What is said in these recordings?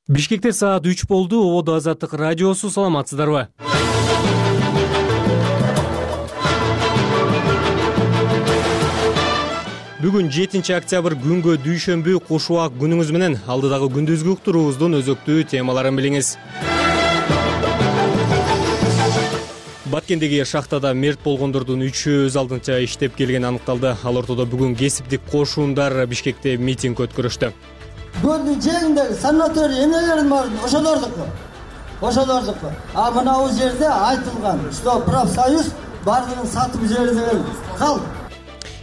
Бишкекте саат 3 болду. Ободо Азаттык радиосу. Саламатсыздарбы? Бүгүн 7 октябрь күнгө дүйшөмбү куш убак күнүңүз менен алдыдагы күндүзгү уктуруубуздун өзөктүү темаларын билиңиз. Баткендеги шахтада мерт болгондордун 3-ü өз алдынча иштеп келгени аныкталды. Ал ортодо бүгүн кесиптик кошуундар Бишкекте митинг өткөрүштү. Көлдүн жээгиндеги санаторий эмнелердин баарын ошолордуку. А мына бул жерде айтылган, что профсоюз бардыгын сатып жиберди деген кал.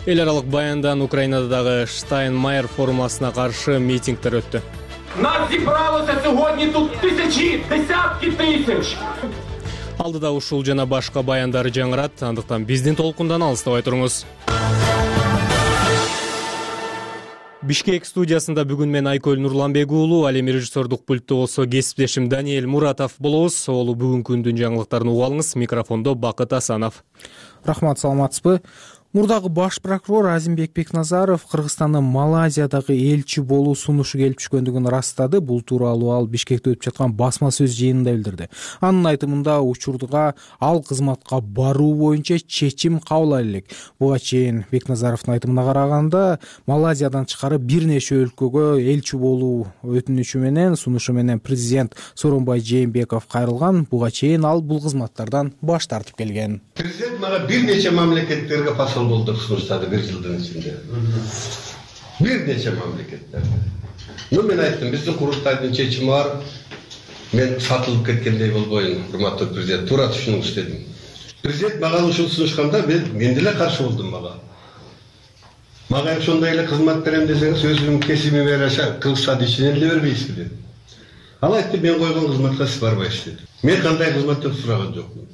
Эл аралык баяндан Украинадагы Штайнмайер формуласына каршы митингдер өттү. Нас зібралося сьогодні тут тисячі, десятки тисяч. Алдыда ушул жана башка баяндар жаңырат, андыктан биздин толкундан алыстабай туруңуз. Бишкек студиясында бүгүн мен Айкөл Нурланбек уулу, ал эми режиссердук пультту болсо кесиптешим Даниэль Муратов болобуз. Олу бүгүнкү күндүн жаңылыктарын угуп алыңыз. Микрофондо Бакыт Асанов. Рахмат, саламатсызбы? Мурдагы баш прокурор Азимбек Бекназаров Кыргызстандын Малайзиядагы элчи болуу сунушу келип түшкөндүгүн ырастады. Бул тууралуу ал Бишкекте өтүп жаткан басма сөз жыйынында билдирди. Анын айтымында учурга ал кызматка баруу боюнча чечим кабыл элек. Буга чейин Бекназаровдун айтымына караганда, Малайзиядан тышкары бир нече өлкөгө элчи болуу өтүнүчү менен сунушу менен президент Сооронбай Жээнбеков кайрылган. Буга чейин ал бул кызматтардан баш тартып келген. Президент мага бир нече мамлекеттерге болдук сунуштады бир жылдын ичинде. Бир нече мамлекеттерде. Мен айттым, биздин курултайдын чечими бар. Мен сатылып кеткендей болбойм, урматтуу президент. Туура түшүнүңүз дедим. Президент мага ушул сунушканда мен деле каршы болдум мага. Мага ошондой эле кызмат берем десеңиз, өзүмдүн кесибиме жараша кылса ишине эле бербейсиз деп. Ал айтты, мен койгон кызматка сиз барбайсыз деп. Мен кандай кызматтан сураган жокмун.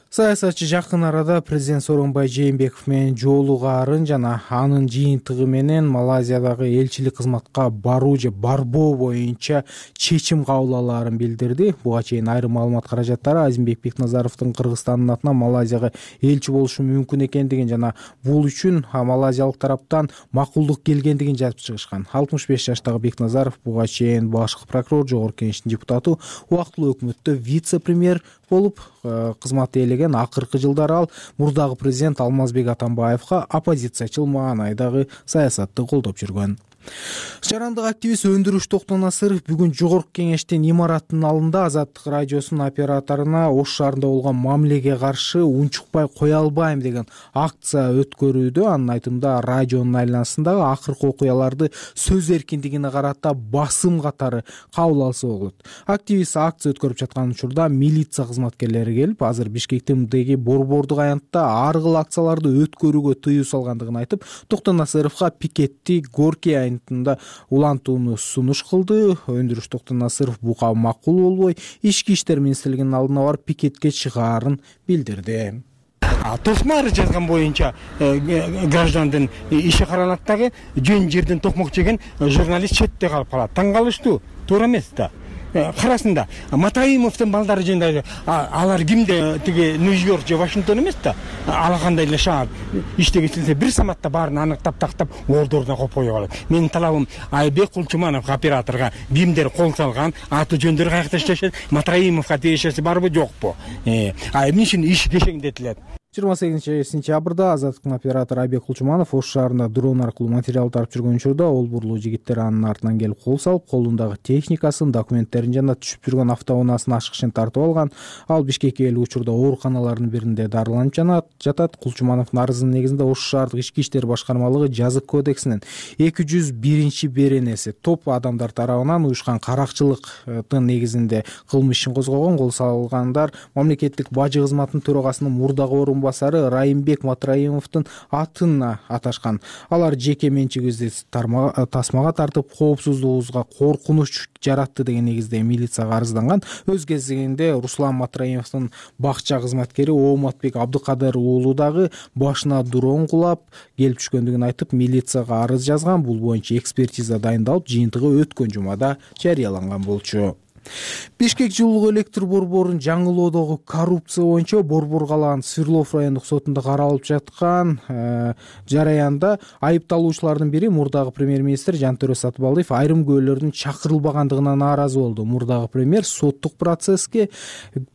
Саясатчы жакын арада президент Сооронбай Жээнбеков менен жолугаарын жана анын жыйынтыгы менен Малайзиядагы элчилик кызматка баруу же барбоо боюнча чечим кабыл алаарын билдирди. Буга чейин айрым маалымат каражаттары Азимбек Бекназаровдун Кыргызстандын атынан Малайзияга элчи болушу мүмкүн экендигин жана бул үчүн Малайзиялык тараптан макулдук келгендигин жазып чыгышкан. 65 жаштагы Бекназаров буга чейин башкы прокурор, жогорку кеңештин депутаты, убактылуу өкмөттө вице-премьер болуп кызмат ээлеген. Акыркы жылдары ал мурдагы президент Алмазбек Атамбаевга оппозициячыл маанайдагы саясатты колдоп жүргөн. Жарандык активист Өндүрүш Токтонасыров бүгүн жогорку кеңештин имараттын алдында Азаттык радиосунун операторуна Ош шаарында болгон мамилеге каршы унчукпай кое албайм деген акция өткөрүүдө. Анын айтымында радионун айланасындагы акыркы окуяларды сөз эркиндигине карата басым катары кабыл алса болот. Активист акция өткөрүп жаткан учурда милиция кызматкерлери келип, азыр Бишкектеги борбордук аянтта ар кыл акцияларды өткөрүүгө тыюу салгандыгын айтып, Токтонасыровго пикетти Горький улантууну сунуш кылды. Өндүрүш Токтонасыров буга макул болбой, Ички иштер министрлигинин алдына барып пикетке чыгаарын билдирди. Тосмар жазган боюнча граждандын иши каралат дагы, жөн жерден токмок жеген журналист четте калып калат. Таң калыштуу, туура эмес да. Карасында Матаимовдун балдары жөнүндө алар кимде, тиги Нью-Йорк же Вашингтон эмес да. Алакандай эле шаар иштеге келсе бир саматта баарын аныктап тактап ордоруна коюп коюп алат. Менин талабым Айбек Кулчуманов операторго кимдер кол салган, аты жөндөрү каякта иштешет, Матаимовго тиешеси барбы жокпу? Эмне үчүн иш кешеңдетилет? 28 сентябрда Азаттыктын оператору Айбек Кулчуманов Ош шаарында дрон аркылуу материал тарап жүргөн учурда олбурлуу жигиттер анын артынан келип кол салып, колундагы техникасын, документтерин жана түшүп жүргөн автоунаасын ачкычын тартып алган. Ал Бишкекке келүү учурда ооруканалардын биринде дарыланып жатат. Кулчумановдун арызынын негизинде Ош шаардык ички иштер башкармалыгы жазык кодексинин 201-беренеси топ адамдар тарабынан уюшкан каракчылыктын негизинде кылмыш ишин козгогон. Кол салгандар мамлекеттик бажы кызматынын төрагасынын мурдагы орунбасары Райымбек Матраимовдун атын аташкан. Алар жеке менчигибизди тасмага тартып, коопсуздугубузга коркунуч жаратты деген негизде милицияга арызданган. Өз кезегинде Руслан Матраимовдун бакча кызматкери Ооматбек Абдыкадыр уулу дагы башына дрон кулап келип түшкөндүгүн айтып, милицияга арыз жазган. Бул боюнча экспертиза дайындалып, жыйынтыгы өткөн жумада жарыяланган болчу. Бишкек жылуу электр борборун жаңылоодогу коррупция боюнча Борбор калаанын Свердлов райондук сотунда каралып жаткан жараянда айыпталуучулардын бири мурдагы премьер-министр Жантөрө Сатыбалдиев айрым күбөлөрдүн чакырылбагандыгына нааразы болду. Мурдагы премьер соттук процесске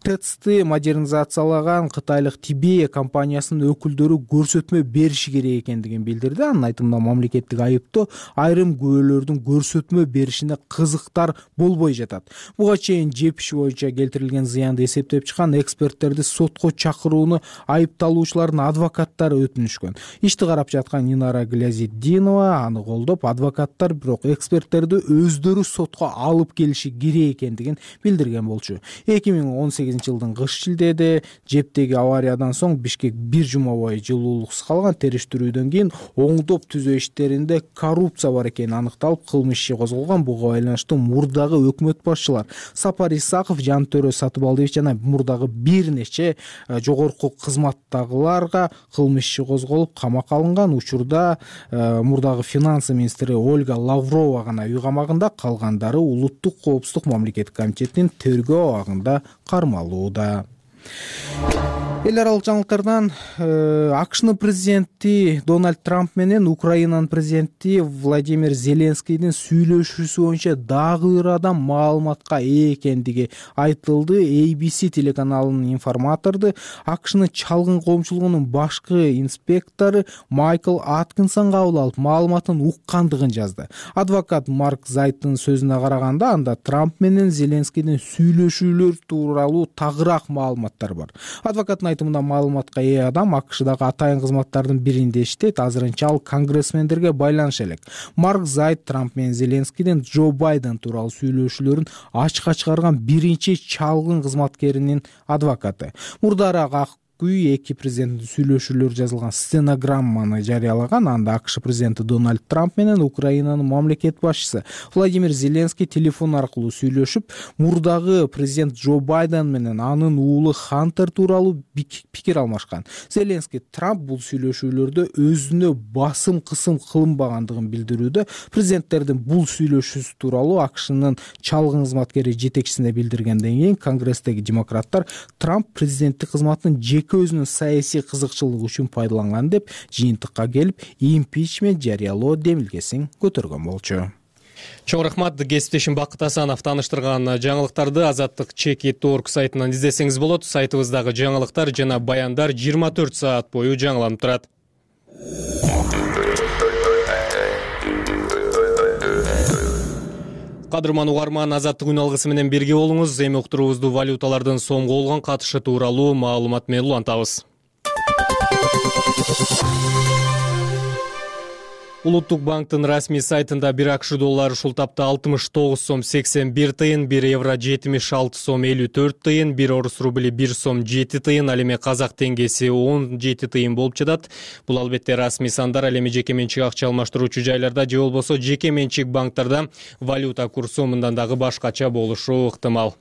ТЭЦти модернизациялаган кытайлык Тибея компаниясынын өкүлдөрү көрсөтмө бериши керек экендигин билдирди. Анын айтымында мамлекеттик айыптоо айрым күбөлөрдүн көрсөтмө беришине кызыктар болбой жатат. Буга чейин жеп иши боюнча келтирилген зыянды эсептеп чыккан эксперттерди сотко чакырууну айыпталуучулардын адвокаттары өтүнүшкөн. Ишти карап жаткан Инара Глязиддинова аны колдоп, адвокаттар бирок эксперттерди өздөрү сотко алып келиши керек экендигин билдирген болчу. 2018-жылдын кыш шилдеде жептеги авариядан соң Бишкек бир жума бою жылуулуксуз калган. Териштирүүдөн кийин оңдоп түзөө иштеринде коррупция бар экени аныкталып, кылмыш иши козголгон. Буга байланыштуу мурдагы өкмөт башчылар Сапар Исаков, Жантөрө Сатыбалдиев жана мурдагы бир нече жогорку кызматтагыларга кылмыш иши козголуп, камакка алынган. Учурда мурдагы финансы министри Ольга Лаврова гана үй камагында, калгандары Улуттук коопсуздук мамлекеттик комитетинин тергөө абагында кармалууда. Эл аралык жаңылыктардан АКШнын президенти Дональд Трамп менен Украинанын президенти Владимир Зеленскийдин сүйлөшүүсү боюнча дагы бир адам маалыматка ээ экендиги айтылды. ABC телеканалынын информаторду АКШнын чалгын коомчулугунун башкы инспектору Майкл Аткинсон кабыл алып, маалыматын уккандыгын жазды. Адвокат Марк Зайттын сөзүнө караганда, анда Трамп менен Зеленскийдин сүйлөшүүлөр тууралуу тагыраак маалыматтар бар. Адвокаттын айтымында маалыматка ээ адам АКШдагы атайын кызматтардын биринде иштейт. Азырынча ал конгрессмендерге байланыша элек. Марк Зайт Трамп менен Зеленскийдин Джо Байден тууралуу сүйлөшүүлөрүн ачыкка чыгарган биринчи чалгын кызматкеринин адвокаты. Мурдараак эки президенттин сүйлөшүүлөрү жазылган стенограмманы жарыялаган. Анда АКШ президенти Дональд Трамп менен Украинанын мамлекет башчысы Владимир Зеленский телефон аркылуу сүйлөшүп, мурдагы президент Джо Байден менен анын уулу Хантер тууралуу пикир алмашкан. Зеленский Трамп бул сүйлөшүүлөрдө өзүнө басым кысым кылынбагандыгын билдирүүдө. Президенттердин бул сүйлөшүүсү тууралуу АКШнын чалгын кызматкери жетекчисине билдиргенден кийин Конгресстеги демократтар Трамп президенттик кызматын өзүнүн саясий кызыкчылыгы үчүн пайдаланган деп жыйынтыкка келип, импичмент жарыялоо демилгесин көтөргөн болчу. Чоң рахмат. Кесиптешим Бакыт Асанов тааныштырган жаңылыктарды Азаттык.org сайтынан издесеңиз болот. Сайтыбыздагы жаңылыктар жана баяндар 24 саат бою жаңыланып турат. Кадырман угарман, Азаттык күн алгысы менен бирге болуңуз. Эми уктуруубузду валюталардын сомго болгон катышы тууралуу маалымат менен улантабыз. Улуттук банктын расмий сайтында 1 АКШ доллары ушул тапта 69 сом 81 тыйын, 1 евро 76 сом 54 тыйын, 1 орус рубли 1 сом 7 тыйын, ал эми казак теңгеси 17 тыйын болуп жатат. Бул албетте расмий сандар, ал эми жеке менчик акча алмаштыруучу жайларда же болбосо жеке менчик банктарда валюта курсу мындан дагы башкача болушу ыктымал.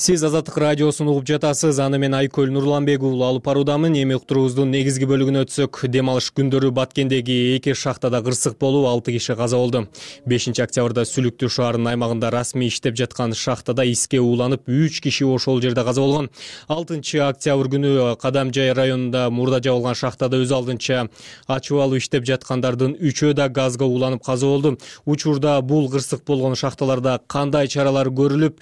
Сиз Азаттык радиосун угуп жатасыз. Аны мен Айкөл Нурланбек уулу алып баруудамын. Эми уктуруубуздун негизги бөлүгүнө өтсөк, дем алыш күндөрү Баткендеги 2 шахтада кырсык болуп, 6 киши каза болду. 5-октябрда Сүлүктүү шаарынын аймагында расмий иштеп жаткан шахтада иске ууланып, 3 киши ошол жерде каза болгон. 6-октябрь күнү Кадамжай районунда мурда жабылган шахтада өз алдынча ачып алып иштеп жаткандардын 3-өө да газга ууланып каза болду. Учурда бул кырсык болгон шахталарда кандай чаралар көрүлүп,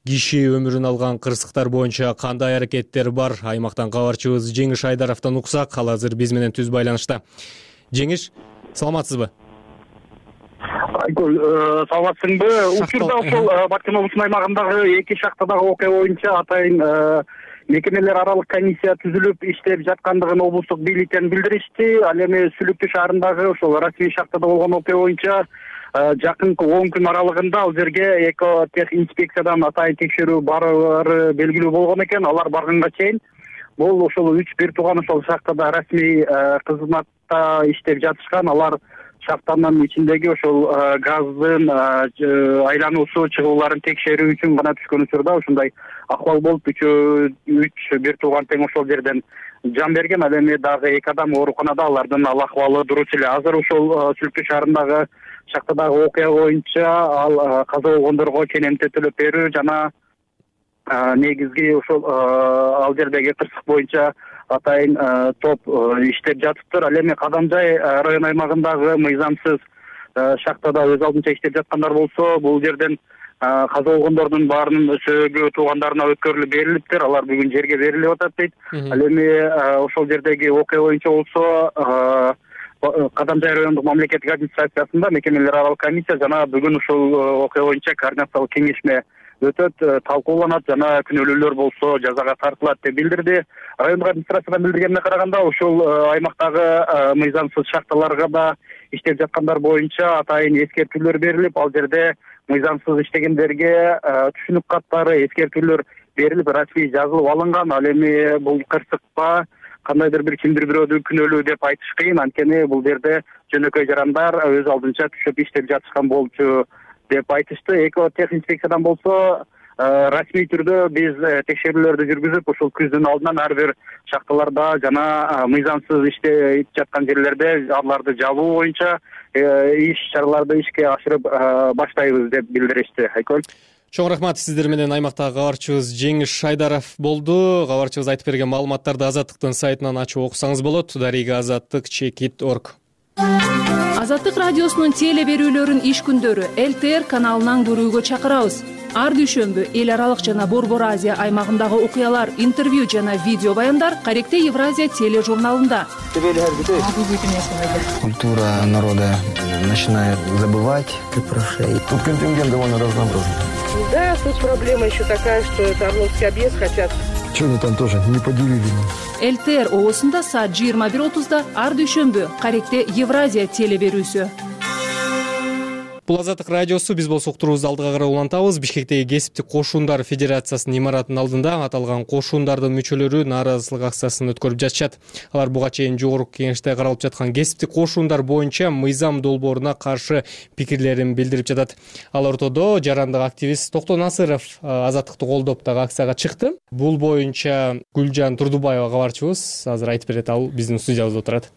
киши өмүрүн алган кырсыктар боюнча кандай аракеттер бар? Аймактан кабарчыбыз Жеңиш Айдаровдон уксак. Ал азыр биз менен түз байланышта. Жеңиш, саламатсызбы? Айкөл, саламатсыңбы? Учурда ошол Баткен облусунун аймагындагы 2 шахтадагы окуя боюнча атайын мекемелер аралык комиссия түзүлүп иштеп жаткандыгын облустук бийликтен билдиришти. Ал эми Сүлүктүү шаарындагы ошол расмий шахтада болгон окуя боюнча жакынкы 10 күн аралыгында ал жерге экотех инспекциядан атайын текшерүү барары белгилүү болгон экен. Алар барганга чейин бул ошол 3 бир тууган ошол шахтада расмий кызматта иштеп жатышкан. Алар шахтанын ичиндеги ошол газдын айлануусу чыгууларын текшерүү үчүн гана түшкөн учурда ушундай акыбал болуп үч бир тууган тең ошол жерден жан берген. Ал эми дагы 2 адам ооруканада, алардын ал акыбалы дурус эле. Азыр ошол Сүлкү шаарындагы шахтадагы окуя боюнча ал каза болгондорго кенемте төлөп берүү жана негизги ошол ал жердеги кырсык боюнча атайын топ иштеп жатыптыр. Ал эми Кадамжай район аймагындагы мыйзамсыз шахтада өз алдынча иштеп жаткандар болсо, бул жерден каза болгондордун баарынын сөөгү туугандарына өткөрүлүп берилиптир. Алар бүгүн жерге берилип атат дейт. Ал эми ошол жердеги окуя боюнча болсо Кадамжай райондук мамлекеттик администрациясында мекемелер аралык комиссия жана бүгүн ушул окуя боюнча координациялык кеңешме өтөт, талкууланат жана күнөөлүүлөр болсо жазага тартылат деп билдирди. Райондук администрациядан билдиргенине караганда ушул аймактагы мыйзамсыз шахталарга да иштеп жаткандар боюнча атайын эскертүүлөр берилип, ал жерде мыйзамсыз иштегендерге түшүнүк каттары, эскертүүлөр берилип, расмий жазылып алынган. Ал эми бул кырсыкка кандайдыр бир кимдир бирөөдү күнөөлүү деп айтыш кыйын, анткени бул жерде жөнөкөй жарандар өз алдынча түшүп иштеп жатышкан болчу деп айтышты. Экотехинспекциядан болсо расмий түрдө биз текшерүүлөрдү жүргүзүп, ушул күздүн алдынан ар бир шахталарда жана мыйзамсыз иштеп жаткан жерлерде аларды жабуу боюнча иш чараларды ишке ашырып баштайбыз деп билдиришти. Айкөл. Чоң рахмат. Сиздер менен аймактагы кабарчыбыз Жеңиш Шайдаров болду. Кабарчыбыз айтып берген маалыматтарды Азаттыктын сайтынан ачып окусаңыз болот. Дарига Азаттык.org. Азаттык радиосунун теле берүүлөрүн иш күндөрү ЛТР каналынан көрүүгө чакырабыз. Ар дүйшөмбү эл аралык жана Борбор Азия аймагындагы окуялар, интервью жана видео баяндар Каректе Евразия тележурналында. Культура народа начинает забывать про шеи. Тут контингент довольно разнообразный. Да, тут проблема еще такая, что это Орловский объезд хотят. Что-то там тоже не поделили. ЛТР оосунда саат 21:30 ар дүйшөмбү Каректе Евразия теле берүүсү. Бул Азаттык радиосу. Биз болсо уктуруубузду алдыга карай улантабыз. Бишкектеги кесиптик кошундар федерациясынын имаратынын алдында аталган кошундардын мүчөлөрү нааразычылык акциясын өткөрүп жатышат. Алар буга чейин жогорку кеңеште каралып жаткан кесиптик кошундар боюнча мыйзам долбооруна каршы пикирлерин билдирип жатат. Ал ортодо жарандык активист Токтон Насыров Азаттыкты колдоп дагы акцияга чыкты. Бул боюнча Гүлжан Турдубаева кабарчыбыз азыр айтып берет. Ал биздин студиябызда отурат.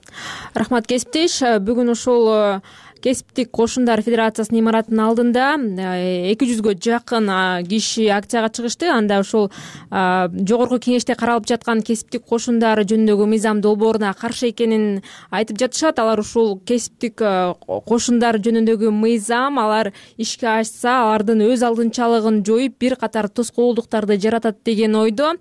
Рахмат кесиптеш. Бүгүн ушул Кесиптик кошундар федерациясынын имаратынын алдында 200гө жакын киши акцияга чыгышты. Анда ушул жогорку кеңеште каралып жаткан кесиптик кошундар жөнүндөгү мыйзам долбооруна каршы экенин айтып жатышат. Алар ушул кесиптик кошундар жөнүндөгү мыйзам алар ишке ашса, алардын өз алдынчалыгын жоюп, бир катар тоскоолдуктарды жаратат деген ойдо.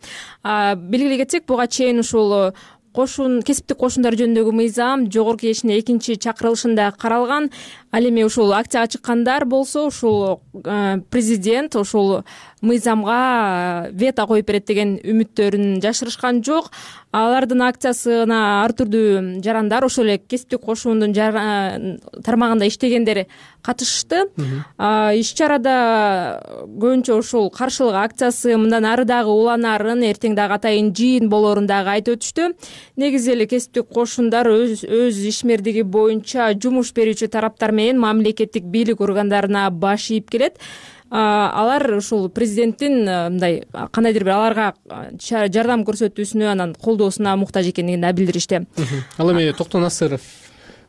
Белгилей кетсек, буга чейин ушул кесиптик кошундар жөнүндөгү мыйзам жогорку кеңештин 2-чакырылышында каралган. Ал эми ушул акцияга чыккандар болсо ушул президент ушул мыйзамга вето коюп берет деген үмүттөрүн жашырышкан жок. Алардын акциясына ар түрдүү жарандар, ошол эле кесиптик кошундун тармагында иштегендер катышты. Иш чарада көбүнчө ушул каршылык акциясы мындан ары дагы уланарын, эртең дагы атайын жыйын болоорун дагы айтып өтүштү. Негизи эле кесиптик кошундар өз ишмердиги боюнча жумуш берүүчү тараптар менен мамлекеттик бийлик органдарына баш ийип келет. Алар ушул президенттин мындай кандайдыр бир аларга жардам көрсөтүүсүнө, анан колдоосуна муктаж экендигин да билдиришти. Ал эми Токтон Насыров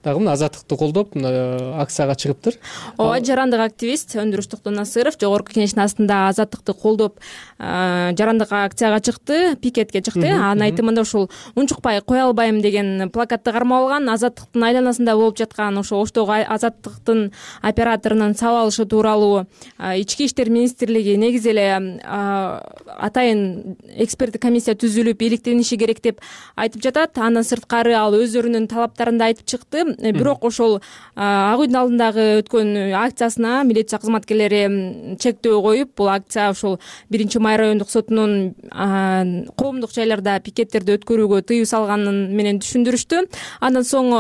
дагы мына Азаттыкты колдоп акцияга чыгыптыр. Ооба, жарандык активист Өндүрүш Токтон Насыров жогорку кеңештин астында Азаттыкты колдоп жарандык акцияга чыкты, пикетке чыкты. Анын айтымында ушул унчукпай кое албайм деген плакатты кармап алган. Азаттыктын айланасында болуп жаткан ошо Оштогу Азаттыктын операторунун сабалышы тууралуу Ички иштер министрлиги негизи эле атайын эксперттик комиссия түзүлүп иликтениши керек деп айтып жатат. Андан сырткары ал өздөрүнүн талаптарында айтып чыкты. Бирок ошол Ак үйдүн алдындагы өткөн акциясына милиция кызматкерлери чектөө коюп, бул акция ошол 1-Май райондук сотунун коомдук жайларда пикеттерди өткөрүүгө тыюу салганын менен түшүндүрүштү. Андан соң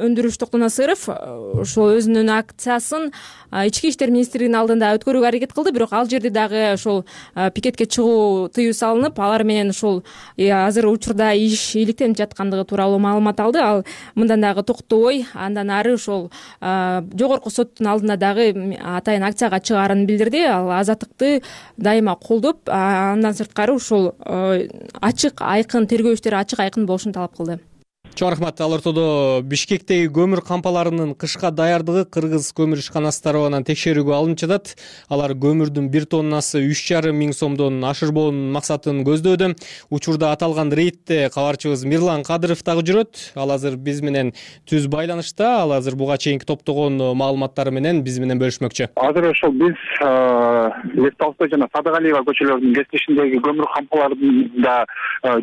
Өндүрүш Токтон Насыров ошол өзүнүн акциясын Ички иштер министрлигинин алдында өткөрүүгө аракет кылды, бирок ал жерде дагы ошол пикетке чыгуу тыюу салынып, алар менен ошол азыр учурда иш иликтенип жаткандыгы тууралуу маалымат алды. Ал мындан дагы токтолуп токтобой, андан ары ошол жогорку соттун алдында дагы атайын акцияга чыгаарын билдирди. Ал азаттыкты дайыма колдоп, андан сырткары ушул ачык айкын тергөө иштери ачык айкын болушун талап кылды. Чоң рахмат. Ал ортодо Бишкектеги көмүр кампаларынын кышка даярдыгы кыргыз көмүр ишканасы тарабынан текшерүүгө алынып жатат. Алар көмүрдүн 1 тоннасы 3,5 миң сомдон ашырбоонун максатын көздөөдө. Учурда аталган рейдте кабарчыбыз Мирлан Кадыров дагы жүрөт. Ал азыр биз менен түз байланышта. Ал азыр буга чейинки топтогон маалыматтары менен биз менен бөлүшмөкчү. Азыр ошол биз Лев Толстой жана Садыгалиева көчөлөрүнүн кесилишиндеги көмүр кампаларында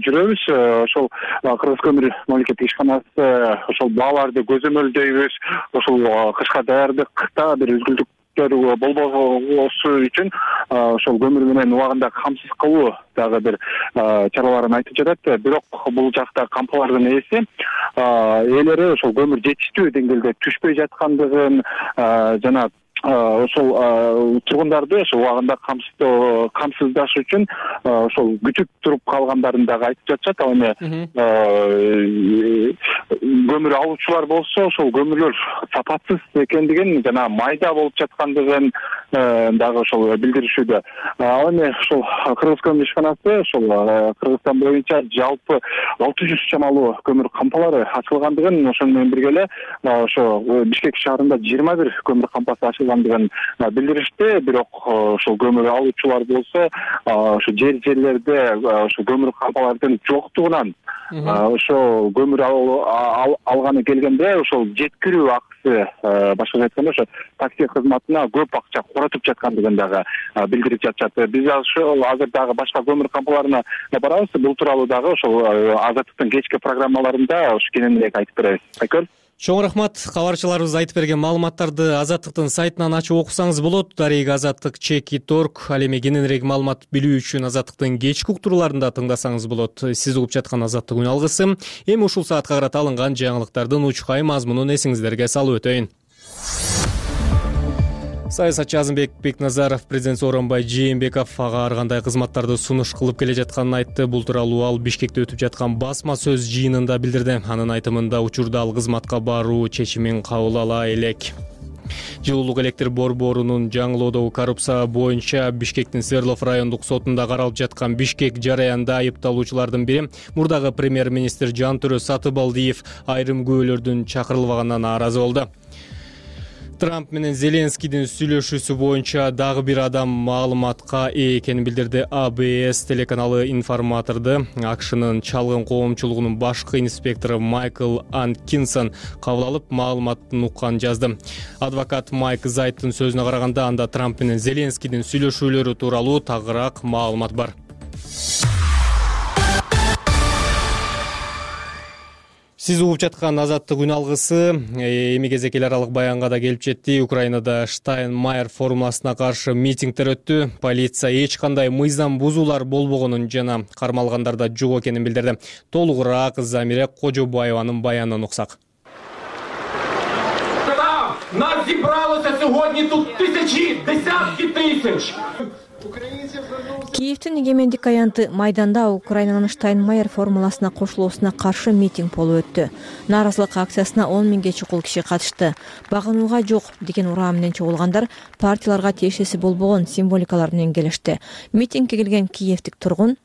жүрөбүз. Ошол Кыргыз көмүр мамлекеттик ишканасы ошол бааларды көзөмөлдөйбүз. Ошол кышка даярдыкта бир үзгүлтүктөр болбосу үчүн ошол көмүр менен убагында камсыз кылуу дагы бир чараларын айтып жатат. Бирок бул жакта кампалардын ээлери ошол көмүр жетиштүү деңгээлде түшпөй жаткандыгын жана ошол тургундарды ошол убагында камсыздаш үчүн ошол күтүп туруп калгандарын дагы айтып жатышат. Ал эми көмүр алуучулар болсо ошол көмүрлөр сапатсыз экендигин жана майда болуп жаткандыгын дагы ошол билдиришүүдө. Ал эми ошол Кыргыз көмүр ишканасы ошол Кыргызстан боюнча жалпы 600 чамалуу көмүр кампалары ачылгандыгын, ошону менен бирге эле ошо Бишкек шаарында 21 көмүр кампасы ачылгандыгын билдиришти. Бирок ошол көмүр алуучулар болсо ошо жерлерде ошо көмүр кампалардын жоктугунан ошо көмүр алганы келгенде ошол жеткирүү акысы, башкача айтканда ошо такси кызматына көп акча коротуп жаткандыгын дагы билдирип жатышат. Биз ошол азыр дагы башка көмүр кампаларына барабыз. Бул тууралуу дагы ошол Азаттыктын кечки программаларында кененирээк айтып беребиз. Айкөл. Чоң рахмат. Кабарчыларыбыз айтып берген маалыматтарды Азаттыктын сайтынан ачып окусаңыз болот. Дарек Азаттык.org. Ал эми кененирээк маалымат билүү үчүн Азаттыктын кечки уктурууларында тыңдасаңыз болот. Сиз угуп жаткан Азаттык үн алгысы. Эми ушул саатка карата алынган жаңылыктардын учкай мазмунун эсиңиздерге салып өтөйүн. Саясатчы Азымбек Бекназаров президент Сооронбай Жээнбеков ага ар кандай кызматтарды сунуш кылып келе жатканын айтты. Бул тууралуу ал Бишкекте өтүп жаткан басма сөз жыйынында билдирди. Анын айтымында учурда ал кызматка баруу чечимин кабыл ала элек. Жылуулук электр борборунун жаңылоодогу коррупция боюнча Бишкектин Свердлов райондук сотунда каралып жаткан Бишкек жараянда айыпталуучулардын бири мурдагы премьер-министр Жантөрө Сатыбалдиев айрым күбөлөрдүн чакырылбаганына нааразы болду. Трамп менен Зеленскийдин сүйлөшүүсү боюнча дагы бир адам маалыматка ээ экенин билдирди. АБС телеканалы информаторду АКШнын чалгын коомчулугунун башкы инспектору Майкл Анкинсон кабыл алып, маалыматтын укканын жазды. Адвокат Майк Зайттын сөзүнө караганда, анда Трамп менен Зеленскийдин сүйлөшүүлөрү тууралуу тагыраак маалымат бар. Сиз угуп жаткан Азаттык үн алгысы эми кезек эл аралык баянга да келип жетти. Украинада Штайнмайер формуласына каршы митингдер өттү. Полиция эч кандай мыйзам бузуулар болбогонун жана кармалгандарда жок экенин билдирди. Толугураак Замире Кожобаеванын баянынан уксак. Нас зібралося сьогодні тут тисячі, десятки тисяч. Киевтин эгемендик аянты майданда Украинанын Штайнмайер формуласына кошулуусуна каршы митинг болуп өттү. Нааразылык акциясына 10 миңге чукул киши катышты. Багынууга жок деген ураа менен чогулгандар партияларга тиешеси болбогон символикалар менен келишти. Митингге келген киевтик тургун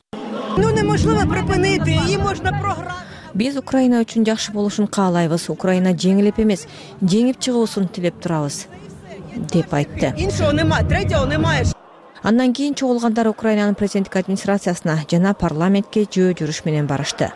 неможливо припинити, її можна програти. Биз Украина үчүн жакшы болушун каалайбыз. Украина жеңилип эмес, жеңип чыгуусун тилеп турабыз, деп айтты. Іншого нема, третього немає. Андан кийин чогулгандар Украинанын президенттик администрациясына жана парламентке жөө жүрүш менен барышты.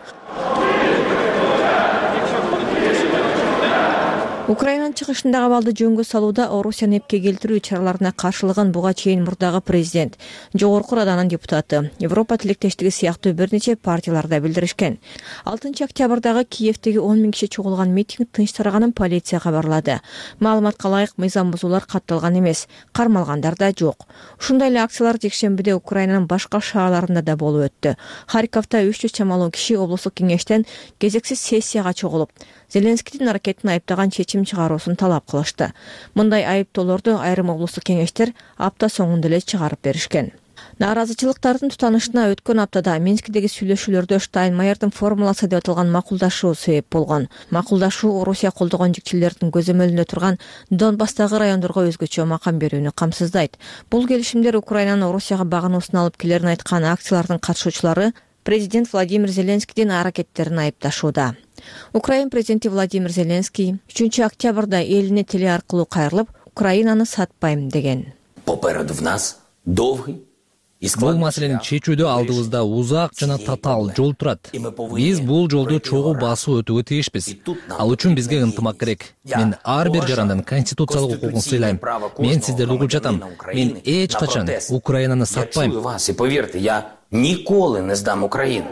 Украинанын чыгышындагы абалды жөнгө салууда Орусияны эпке келтирүү чараларына каршылыгын буга чейин мурдагы президент, жогорку Раданын депутаты, Европа тилектештиги сыяктуу бир нече партияларда билдиришкен. 6 октябрдагы Киевдеги 10 миң киши чогулган митинг тынч тараганын полиция кабарлады. Маалыматка ылайык мыйзам бузуулар катталган эмес, кармалгандар да жок. Ушундай эле акциялар жекшембиде Украинанын башка шаарларында да болуп өттү. Харьковдо 300 чамалуу киши облустук кеңештен кезексиз сессияга чогулуп, Зеленскийдин аракетин айыптаган чечим чыгаруусун талап кылышты. Мындай айыптоолорду айрым облустук кеңештер апта соңунда эле чыгарып беришкен. Нааразычылыктардын тутанышына өткөн аптада Минскидеги сүйлөшүүлөрдө Штайнмайердин формуласы деп аталган макулдашуу себеп болгон. Макулдашуу Орусия колдогон жикчилердин көзөмөлүндө турган Донбасстагы райондорго өзгөчө макам берүүнү камсыздайт. Бул келишимдер Украинанын Орусияга багынуусун алып келерин айткан акциялардын катышуучулары президент Владимир Зеленскийдин аракеттерин айыпташууда. Украин президенти Владимир Зеленский 3 октябрда элине теле аркылуу кайрылып, Украинаны сатпайм деген. Попереду в нас долгий. Бул маселени чечүүдө алдыбызда узак жана татаал жол турат. Биз бул жолду чогуу басып өтүүгө тийишпиз. Ал үчүн бизге ынтымак керек. Мен ар бир жарандын конституциялык укугун сыйлайм. Мен сиздерди угуп жатам. Мен эч качан Украинаны сатпайм. И поверьте, я николы не сдам Украину.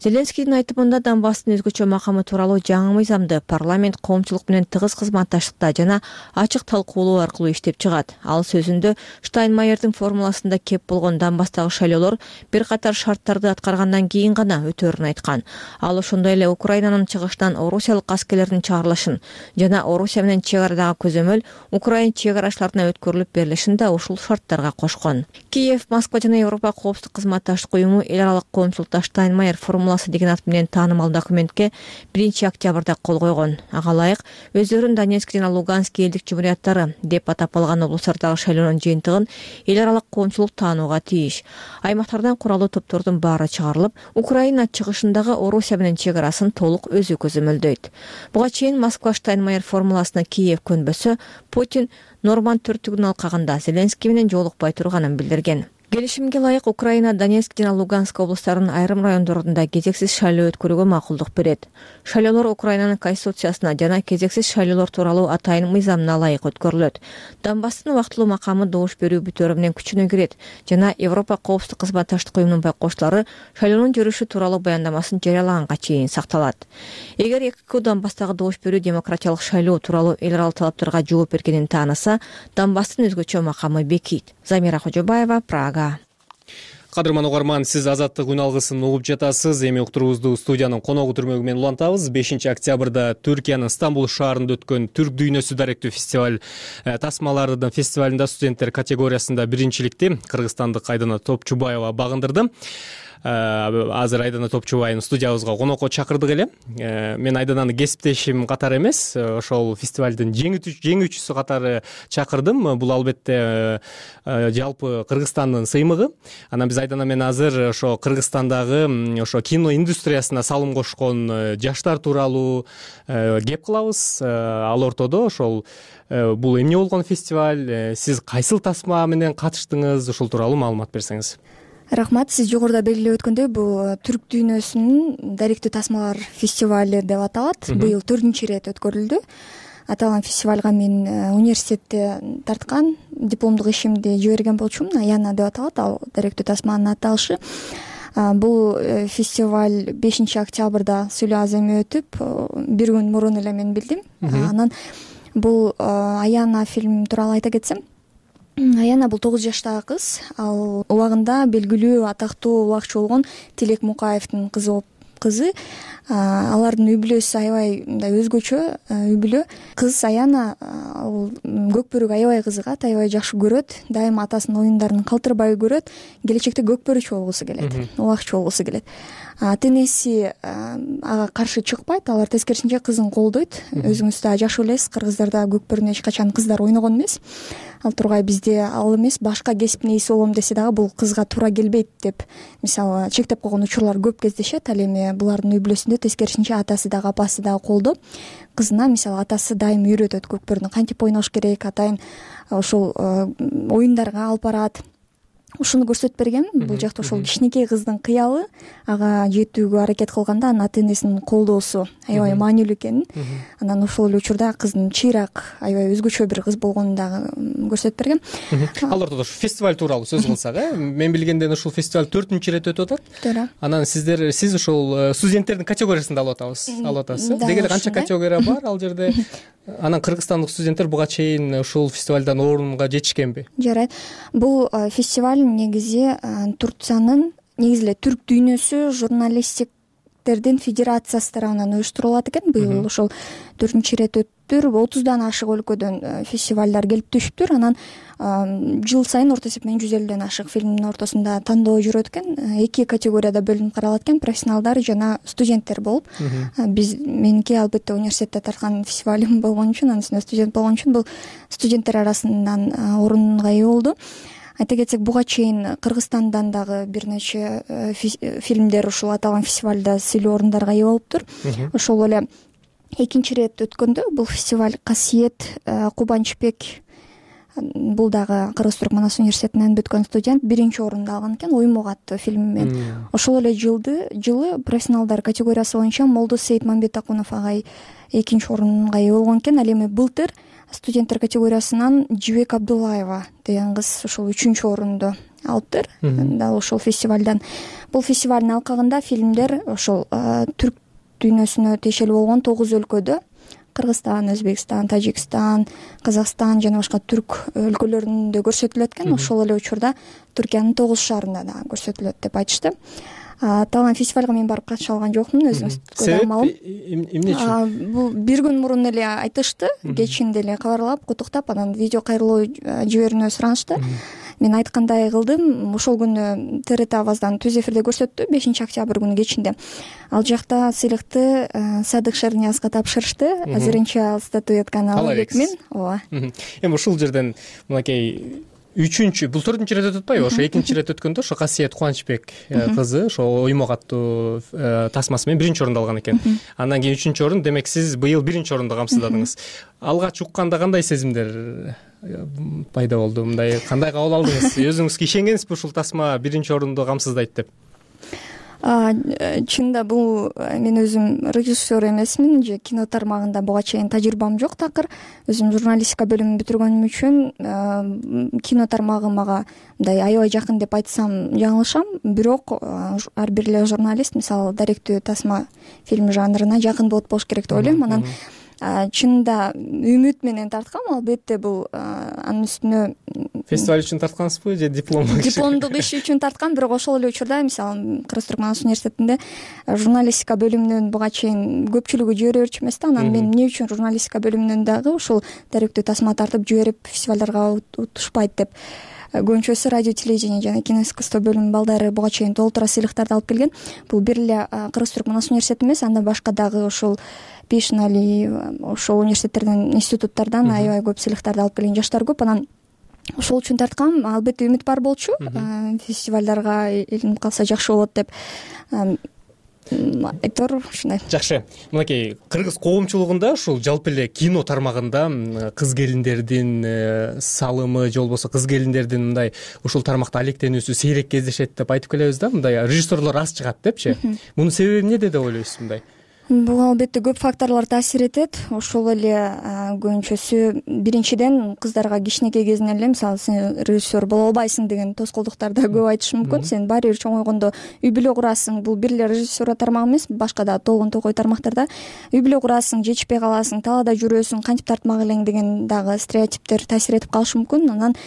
Зеленскийдин айтымында Донбасстын өзгөчө макамы тууралуу жаңы мыйзамды парламент коомчулук менен тыгыз кызматташтыкта жана ачык талкуулоо аркылуу иштеп чыгат. Ал сөзүндө Штайнмайердин формуласында кеп болгон Донбасстагы шайлоолор бир катар шарттарды аткаргандан кийин гана өтөөрүн айткан. Ал ошондой эле Украинанын чыгышынан орусиялык аскерлердин чыгарылышын жана Орусия менен чек арадагы көзөмөл Украин чек арачыларына өткөрүлүп берилишин да ушул шарттарга кошкон. Киев, Москва жана Европа коопсуздук кызматташтык уюму эл аралык коомчулукта Штайнмайер формуласы деген ат менен таанымал документке 1 октябрда кол койгон. Ага ылайык өздөрүн Донецк жана Луганск элдик жумурияттары деп атап алган облустардагы шайлоонун жыйынтыгын эл аралык коомчулук таанууга тийиш. Аймактардан куралуу топтордун баары чыгарылып, Украина чыгышындагы Орусия менен чек арасын толук өзү көзөмөлдөйт. Буга чейин Москва Штайнмайер формуласына Киев көнбөсө, Путин Норманд төрттүгүн алкагында Зеленский менен жолукпай турганын билдирген. Келишимге ылайык Украина Донецк жана Луганск облустарынын айрым райондорунда кезексиз шайлоо өткөрүүгө макулдук берет. Шайлоолор Украинанын конституциясына жана кезексиз шайлоолор тууралуу атайын мыйзамына ылайык өткөрүлөт. Донбасстын убактылуу макамы добуш берүү бүтөөрү менен күчүнө кирет жана Европа коопсуздук кызматташтык уюмунун байкоочулары шайлоонун жүрүшү тууралуу баяндамасын жарыялаганга чейин сакталат. Эгер ЭКК Донбасстагы добуш берүү демократиялык шайлоо тууралуу эл аралык талаптарга жооп бергенин тааныса, Донбасстын өзгөчө макамы бекийт. Замира Кожобаева, Прага. Кадырман угарман, сиз Азаттык үн алгысын угуп жатасыз. Эми уктуруубузду студиянын коногу түрмөгү менен улантабыз. 5 октябрда Түркиянын Стамбул шаарында өткөн Түрк дүйнөсү даректүү фестиваль тасмалардын фестивалында студенттер категориясында биринчиликти кыргызстандык Айдана Топчубаева багындырды. Азыр Айдана Топчубаевну студиябызга конокко чакырдык эле. Мен Айдананы кесиптешим катары эмес, ошол фестивалдын жеңүүчүсү катары чакырдым. Бул албетте жалпы Кыргызстандын сыймыгы. Анан биз Айдана менен азыр ошо Кыргызстандагы ошо кино индустриясына салым кошкон жаштар тууралуу кеп кылабыз. Ал ортодо ошол бул эмне болгон фестиваль, сиз кайсыл тасма менен катыштыңыз, ошол тууралуу маалымат берсеңиз. Рахмат. Сиз жогоруда белгилеп өткөндөй, бул Түрк дүйнөсүнүн даректүү тасмалар фестивали деп аталат. Быйыл 4-чү ирет өткөрүлдү. Аталган фестивалга мен университетте тарткан дипломдук ишимди жиберген болчумун. Аяна деп аталат, ал даректүү тасманын аталышы. Бул фестиваль 5 октябрда Сүлө Аземи өтүп, бир күн мурун эле мен билдим. Анан бул Аяна фильм тууралуу айта кетсем, Аяна бул 9 жаштагы кыз. Ал убагында белгилүү атактуу убакчы болгон Тилек Мукаевдин кызы. Алардын үй бүлөсү аябай мындай өзгөчө үй бүлө. Кыз Аяна ал көкбөрүгө аябай кызыгат, аябай жакшы көрөт. Дайыма атасынын оюндарын калтырбай көрөт. Келечекте көкбөрүчү болгусу келет, убакчы болгусу келет. Ата-энеси ага каршы чыкпайт, алар тескерисинче кызын колдойт. Өзүңүз да жакшы билесиз, кыргыздарда көкбөрүнө эч качан кыздар ойногон эмес. Ал тургай бизде ал эмес, башка кесиптин ээси болом десе дагы бул кызга туура келбейт деп мисалы чектеп койгон учурлар көп кездешет. Ал эми булардын үй бүлөсүндө тескерисинче атасы дагы апасы дагы колдоп, кызына мисалы атасы дайым үйрөтөт көкбөрүнү кантип ойнош керек, атайын ошол оюндарга алып барат. Ушуну көрсөтүп берген. Бул жакта ошол кичинекей кыздын кыялы ага жетүүгө аракет кылганда анын ата-энесинин колдоосу аябай маанилүү экенин, анан ошол эле учурда кыздын чыйрак, аябай өзгөчө бир кыз болгонун дагы көрсөтүп берген. Ал ортодо фестиваль тууралуу сөз кылсак, мен билгенден ушул фестиваль 4-чү ирет өтүп атат. Туура. Анан сиз ушул студенттердин категориясында алып атасыз. Деги эле канча категория бар ал жерде? Анан кыргызстандык студенттер буга чейин ушул фестивалдан орунга жетишкенби? Жарайт. Бул фестиваль негизи Турциянын, негизи эле түрк дүйнөсү журналистик студенттердин федерациясы тарабынан уюштурулат экен. Быйыл ошол 4 ирет өттүр. 30дан ашык өлкөдөн фестивалдар келип түшүптүр. Анан жыл сайын орто эсеп менен 150ден ашык фильмдин ортосунда тандоо жүрөт экен. 2 категорияда бөлүнүп каралат экен: профессионалдар жана студенттер болуп. Меники албетте университетте тарткан фестивалым болгон үчүн, анын үстүнө студент болгон үчүн бул студенттер арасынан орунга ээ болду. Айта кетсек, буга чейин Кыргызстандан дагы бир нече фильмдер ушул аталган фестивалда сыйлуу орундарга ээ болуптур. Ошол эле 2 ирет өткөндө бул фестиваль Касиет Кубанычбек, бул дагы Кыргыз-Түрк Манас университетинен бүткөн студент 1 орунду алган экен Уймок аттуу фильми менен. Ошол эле жылы профессионалдар категориясы боюнча Молдо Сейитмамбет Акунов агай 2 орунга ээ болгон экен. Ал эми былтыр студенттер категориясынан Жибек Абдуллаева деген кыз ошол 3 орунду алыптыр. Дал ошол фестивалдан. Бул фестивалдын алкагында фильмдер ошол түрк дүйнөсүнө тиешелүү болгон 9 өлкөдө — Кыргызстан, Өзбекстан, Тажикстан, Казакстан жана башка түрк өлкөлөрүндө көрсөтүлөт экен. Ошол эле учурда Түркиянын 9 шаарында да көрсөтүлөт деп айтышты. Аталган фестивалга мен барып катыша алган жокмун, өзүңүз кудаалым. Эмне үчүн? Бул бир күн мурун эле айтышты, кечинде эле кабарлап, куттуктап, анан видео кайрылуу жиберүүнү суранышты. Мен айткандай кылдым. Ошол күнү ТРТ Аваздан түз эфирде көрсөттү, 5 октябрь күнү кечинде. Ал жакта сыйлыкты Садык Шерниязга тапшырышты. Азырынча ал статуэтканы алып элекмин. Ооба. Эми ушул жерден мынакей 3-чү, бул 4-чү ирет өтүп атпайбы? Ошо 2 ирет өткөндө ошо Касиет Кубанычбек кызы ошо Уймок аттуу тасмасы менен 1 орунду алган экен. Андан кийин 3 орун, демек сиз быйыл 1 орунду камсыздадыңыз. Алгач укканда кандай сезимдер пайда болду? Мындай кандай кабыл алдыңыз? Өзүңүзгө ишенгенсизби ушул тасма 1 орунду камсыздайт деп? Чынында бул мен өзүм режиссер эмесмин же кино тармагында буга чейин тажрыйбам жок такыр. Өзүм журналистика бөлүмүн бүтүргөнүм үчүн кино тармагы мага мындай аябай жакын деп айтсам жаңылышам. Бирок ар бир эле журналист мисалы даректүү тасма фильм жанрына жакын болуш керек деп ойлойм. Анан чынында үмүт менен тарткам. Албетте бул анын үстүнө фестиваль үчүн тарткансызбы же дипломдук иш үчүн тарткан. Бирок ошол эле учурда мисалы Кыргыз-Түрк Манас университетинде журналистика бөлүмүнөн буга чейин көпчүлүгү жибере берчү эмес да. Анан мен эмне үчүн журналистика бөлүмүнөн дагы ушул даректүү тасма тартып жиберип фестивалдарга утушпайт деп көбүнчөсү радио телевидение жана кино искусство бөлүмүнүн балдары буга чейин толтура сыйлыктарды алып келген. Бул бир эле Кыргыз-Түрк Манас университети эмес, андан башка дагы ошол Пишнали, ошол университеттерден, институттардан аябай көп сыйлыктарды алып келген жаштар көп. Анан ошол үчүн тарткам. Албетте үмүт бар болчу. Фестивалдарга илинип калса жакшы болот деп айтор ушундай. Жакшы. Мынакей кыргыз коомчулугунда ушул жалпы эле кино тармагында кыз келиндердин салымы же болбосо кыз келиндердин мындай ушул тармакта алектенүүсү сейрек кездешет деп айтып келебиз да. Мындай режиссерлор аз чыгат депчи. Мунун себеби эмнеде деп ойлойсуз мындай? Бул албетте көп факторлор таасир этет. Ошол эле көбүнчөсү биринчиден кыздарга кичинекей кезинен эле мисалы сен режиссер боло албайсың деген тоскоолдуктарды көп айтышы мүмкүн. Сен баары бир чоңойгондо үй бүлө курасың. Бул бир эле режиссура тармагы эмес, башка да толгон токой тармактарда үй бүлө курасың, жетишпей каласың, талаада жүрөсүң, кантип тартмак элең деген дагы стереотиптер таасир этип калышы мүмкүн. Анан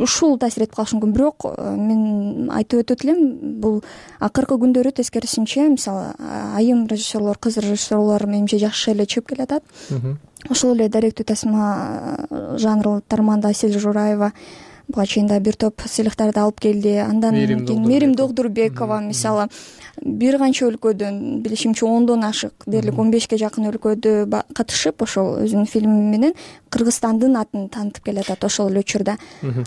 ушул таасир этип калышы мүмкүн. Бирок мен айтып өтөт элем, бул акыркы күндөрү тескерисинче мисалы айым режиссерлор, кыз режиссерлор менимче жакшы эле чыгып келатат. Ошол эле даректүү тасма жанры тармагында Асель Жураева буга чейин да бир топ сыйлыктарды алып келди. Андан кийин Мерим Догдурбекова мисалы бир канча өлкөдөн, билишимче 10дон ашык, дээрлик 15ке жакын өлкөдө катышып ошол өзүнүн фильми менен Кыргызстандын атын таанытып келатат ошол эле учурда.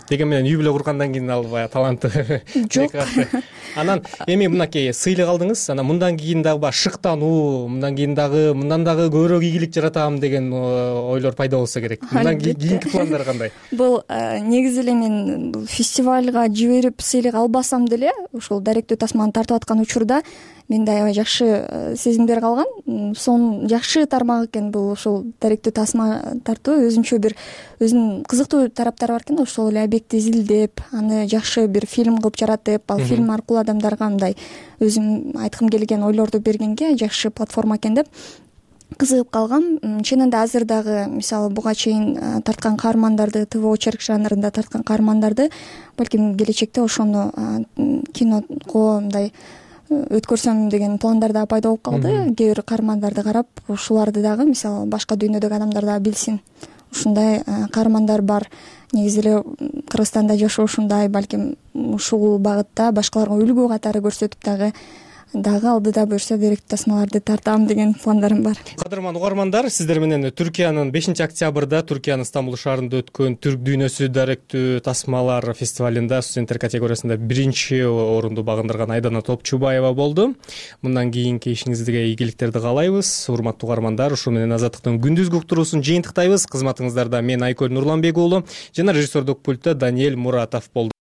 Деген менен үй бүлө кургандан кийин ал баягы таланты жок. Анан эми мынакей сыйлык алдыңыз. Анан мындан кийин дагы шыктануу, мындан кийин дагы мындан дагы көбүрөөк ийгилик жаратам деген ойлор пайда болсо керек. Мындан кийинки пландар кандай? Бул негизи эле мен фестивалга жиберип сыйлык албасам деле ошол даректүү тасманы тартып аткан учурда менде аябай жакшы сезимдер калган. Сон жакшы тармак экен бул ошол даректүү тасма тартуу. Өзүнчө бир өзүнүн кызыктуу тараптары бар экен. Ошол эле объектти изилдеп, аны жакшы бир фильм кылып жаратып, ал фильм аркылуу адамдарга мындай өзүм айткым келген ойлорду бергенге жакшы платформа экен деп кызыгып калгам. Чынында азыр дагы мисалы буга чейин тарткан каармандарды, ТВ очерк жанрында тарткан каармандарды балким келечекте ошону киного мындай өткөрсөм деген пландар да пайда болуп калды. Кээ бир каармандарды карап, ушуларды дагы мисалы башка дүйнөдөгү адамдар дагы билсин. Ушундай каармандар бар. Негизи эле Кыргызстанда жашоо ушундай, балким ушул багытта башкаларга үлгү катары көрсөтүп дагы алдыда буюрса деректүү тасмаларды тартам деген пландарым бар. Кадырман угармандар, сиздер менен Түркиянын 5-октябрда Түркиянын Стамбул шаарында өткөн Түрк дүйнөсү даректүү тасмалар фестивалында студенттер категориясында 1-орунду багындырган Айдана Топчубаева болду. Мындан кийинки ишиңизге ийгиликтерди каалайбыз. Урматтуу угармандар, ушу менен Азаттыктын күндүзгү уктуруусун жыйынтыктайбыз. Кызматыңыздарда мен Айкөл Нурланбек уулу жана режиссердук пультта Даниэль Муратов болду.